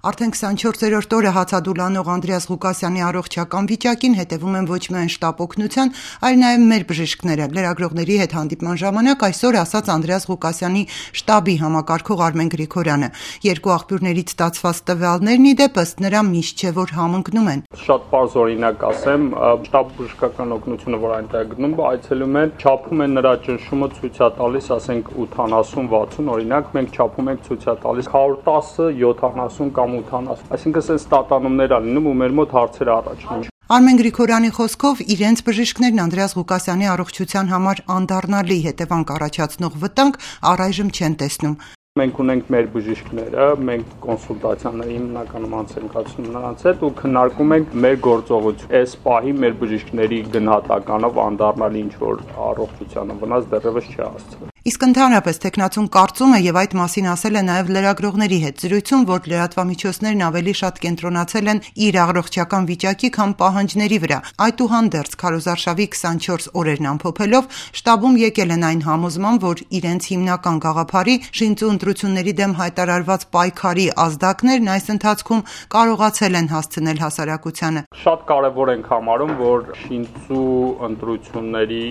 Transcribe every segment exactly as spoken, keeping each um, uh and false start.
Արդեն քսանչորսերորդ օրը հացադուլ անող Անդրեաս Ղուկասյանի առողջական վիճակին հետևում են ոչ միայն շտապ օգնության, այլ նաև մեր բժիշկները։ Լրագրողների հետ հանդիպման ժամանակ այսօր ասաց Անդրեաս Ղուկասյանի շտաբի համակարգող Արմեն Գրիգորյանը։ Երկու աղբյուրներից ստացված տվյալներն ի դեպ ըստ նրա միշտ չէ որ համընկնում են։ Շատ պարզ օրինակ ասեմ, շտաբ բժշկական օգնությունը, որ այնտեղ գնում, այցելում են, չափում են նրա ճնշումը, ցույց է տալիս, ասենք ութանասուն վաթսուն, օրինակ մենք չափում ենք ցույց է տալիս հարյուր տասը յոթանասուն կամ ութանասուն, այսինքն այս ստատանումներ ա լինում ու մեր մոտ հարցեր առաջանում։ Արմեն Գրիգորյանի խոսքով իրենց բժիշկներն Անդրեաս Ղուկասյանի առողջության համար անդառնալի հետևանք առաջացնող վտանգ առայժմ չեն տեսնում։ Մենք ունենք մեր բժիշկները, մենք կոնսուլտացիաների հիմնականում անց ենք կացնում նրանց հետ ու քննարկում ենք մեր գործողություն։ Այս պահի մեր բժիշկների գնահատականով անդառնալի ինչ-որ առողջությանը վնաս դեռևս չի հասցվել։ Իսկ ընդհանրապես տեխնացուն կարծում է եւ այդ մասին ասել է նաեւ լրագրողների հետ զրույցում, որ լրատվամիջոցներն ավելի շատ կենտրոնացել են իր առողջական վիճակի, քան պահանջների վրա։ Այդուհանդերձ քարոզարշավի քսանչորս օրերն ամփոփելով շտաբում եկել են այն համոզման, որ իրենց հիմնական գաղափարի շինծու ընտրությունների դեմ հայտարարված պայքարի ազդակներն այս ընթացքում կարողացել են հասցնել հասարակությանը։ Շատ կարևոր ենք համարում, որ շինծու ընտրությունների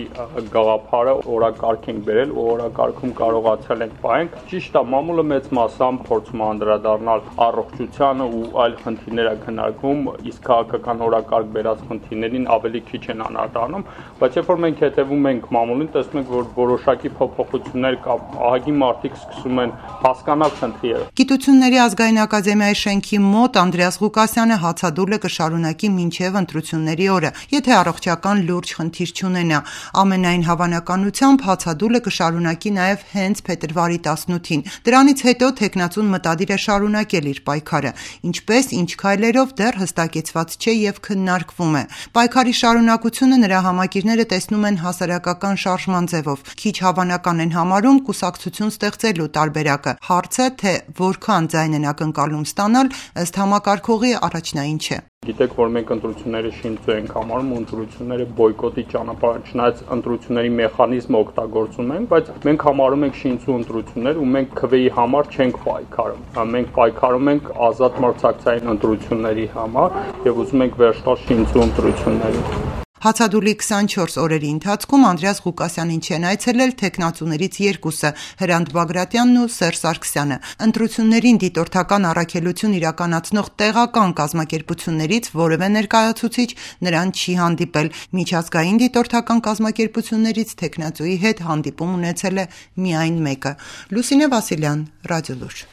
գաղափարը օրակարգ ենք բերել ու կարգում կարողացել ենք պահենք։ Ճիշտ է, մամուլը մեծ մասամբ փորձում է անդրադառնալ առողջությանը ու այլ խնդիրներ քննարկում, իսկ քաղաքական օրակարգ բերած խնդիրներին ավելի քիչ են անդրադառնում, բայց երբ որ մենք հետևում ենք մամուլին, տեսնում ենք, որ որոշակի փոփոխություններ կա, ահագին մարդիկ սկսում են հասկանալ խնդիրը։ Գիտությունների ազգային ակադեմիայի շենքի մոտ Անդրեաս Ղուկասյանը հացադուլը կշարունակի մինչև ընտրությունների օրը, եթե առողջական լուրջ խնդիր չունենա։ Ամենայն հավանականությամբ հացադուլը կշարունակի նաև հենց փետրվարի տասնութին։ Դրանից հետո տեխնացուն մտադիր է շարունակել իր պայքարը, ինչպես ինչ քայլերով դեռ հստակեցված չէ եւ քննարկվում է։ Պայքարի շարունակությունը նրա համակիրները տեսնում են հասարակական շարժման ձևով։ Քիչ հավանական են համարում կուսակցություն ստեղծելու տարբերակը։ Հարցը, թե որքան ձայն են ակնկալում ստանալ, ըստ համակարգողի առաջնային չէ։ Գիտեք, որ մենք ընտրությունները շինծու ենք համարում ու ընտրությունները բոյկոտի ճանապարհ, չնայած ընտրությունների մեխանիզմը օգտագործում ենք, բայց մենք համարում ենք շինծու ընտրություններ ու մենք քվեի համար չենք պայքարում։ Մենք պայքարում ենք ազատ մրցակցային ընտրությունների համար եւ ուզում ենք վերջ տալ շինծու ընտրություններին։ Հացադուլի քսանչորս օրերի ընթացքում Անդրեաս Ղուկասյանին չեն այցելել տեխնացուներից երկուսը՝ Հրանտ Բագրատյանն ու Սերժ Սարգսյանը։ Ընտրություններին դիտորդական առաքելություն իրականացնող տեղական կազմակերպություններից որևէ ներկայացուցիչ նրան չի հանդիպել։ Միջազգային դիտորդական կազմակերպություններից տեխնացուի հետ հանդիպում ունեցել է միայն մեկը։ Լուսինե Վասիլյան, Ռադիոլուր։